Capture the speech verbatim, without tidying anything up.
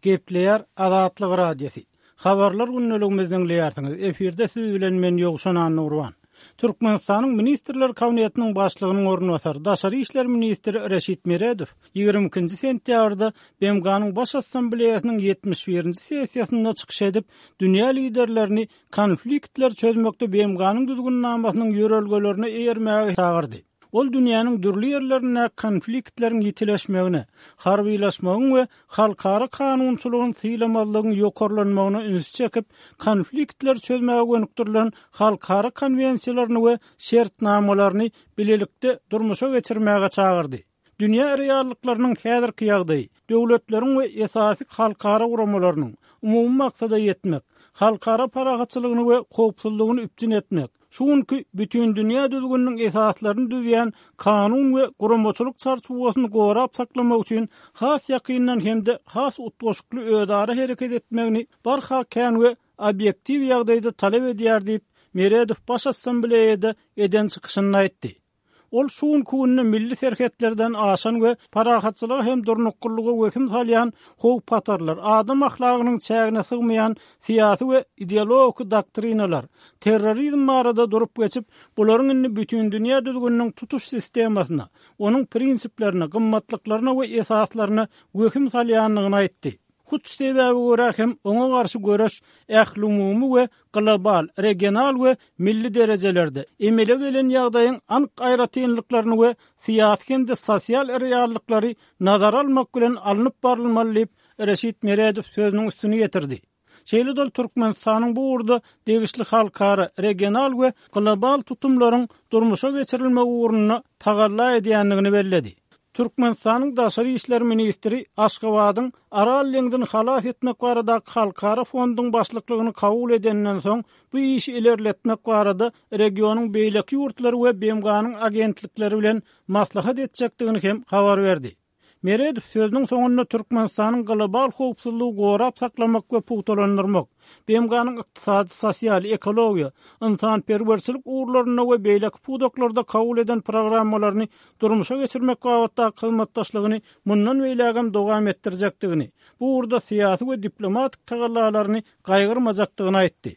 Gepleýär Azatlyk Radiosy. Habarlar gündeligimizi diňleýärsiňiz. Efirde siz bilen men Ýowşan Annagurban. Türkmenistanyň Ministrler Kabinetiniň başlygynyň orunbasary, Daşary işler ministri Reşit Meredow ýigrimi ikinji sentýabrda B M G-nyň Baş Assambleýasynyň ýetmiş birinji sessiýasynda çykyş edip, dünýä liderlerini konfliktleri çözmekde B M G-nyň düzgünnamasynyň ýörelgelerine eýermäge çagyrdy. Ol dünýäniň dürli ýerlerinde konfliktleriň ýitileşmegine, harbylaşmagyň we halkara kanunçylygyny sylamazlygyň ýokarlanmagyna üns çekip, konfliktleri çözmäge gönükdirilen halkara konwensiýalaryny we şertnamalaryny bilelikde durmuşa geçirmäge çagyrdy. Dünýä reallyklarynyň häzirki ýagdaýy, döwletleriň we esasy halkara guramalarynyň umumy maksada ýetmek, halkara parahatçylygyny we howpsuzlygyny üpjün etmek, şu günki bütün dünýä düzgüniniň esaslaryny düzýän kanun we guramaçylyk çarçuwasyny gorap saklamak üçin has ýakyndan hem-de has utgaşykly özara hereket etmegini barha kän we obýektiw ýagdaýda talap edýär diýip, Meredow Baş Assambleýada eden çykyşynda aýtdy. Ol şu günki günde milli serhetlerden aşan we parahatçylyga hem durnuklylyga wehim salýan howp-hatarlar, adam ahlagynyň çägine sygmaýan syýasy we ideologik doktrinalar, terrorizm barada durup geçip, bularyň indi bütün dünýä düzgüniniň tutuş sistemasyna, onuň prinsiplerine, gymmatlyklaryna we esaslaryna wehim salýandygyny aýtdy. Hut sebäbe görä hem oňa garşy göreş ählumumy we global, regional we milli derejelerde emele gelen ýagdaýyň anyk aýratynlyklaryny we syýasy hem-de sosial reallyklary nazara almak bilen alnyp barylmaly diýip, Reşit Meredow sözüniň üstüni ýetirdi. Şeýle-de Türkmenistanyň bu ugurda degişli halkara, regional we global tutumlaryň durmuşa geçirilmegi ugrunda tagalla edýändigini belledi. Türkmenistanyň Daşary işler ministri Aşgabadyň Aral deňzini halas etmek baradaky halkara fonduň başlyklygyny kabul edenden soň bu işi ilerletmek barada regionyň beýleki ýurtlary we B M G-nyň agentlikleri bilen maslahat etjekdigini hem habar berdi. Meredow sözüniň soňunda Türkmenistanyň global howpsuzlygy gorap saklamak we pugtalandyrmak, B M G-nyň ykdysady, sosial, ekologiýa, ynsanperwerçilik ugurlarynda we beýleki pudaklarda kabul eden programmalaryny durmuşa geçirmek babatdaky hyzmatdaşlygyny mundan beýlägem dowam etdirjekdigini, bu ugurda syýasy we diplomatik tagallalaryny gaýgyrmajakdygyny aýtdy.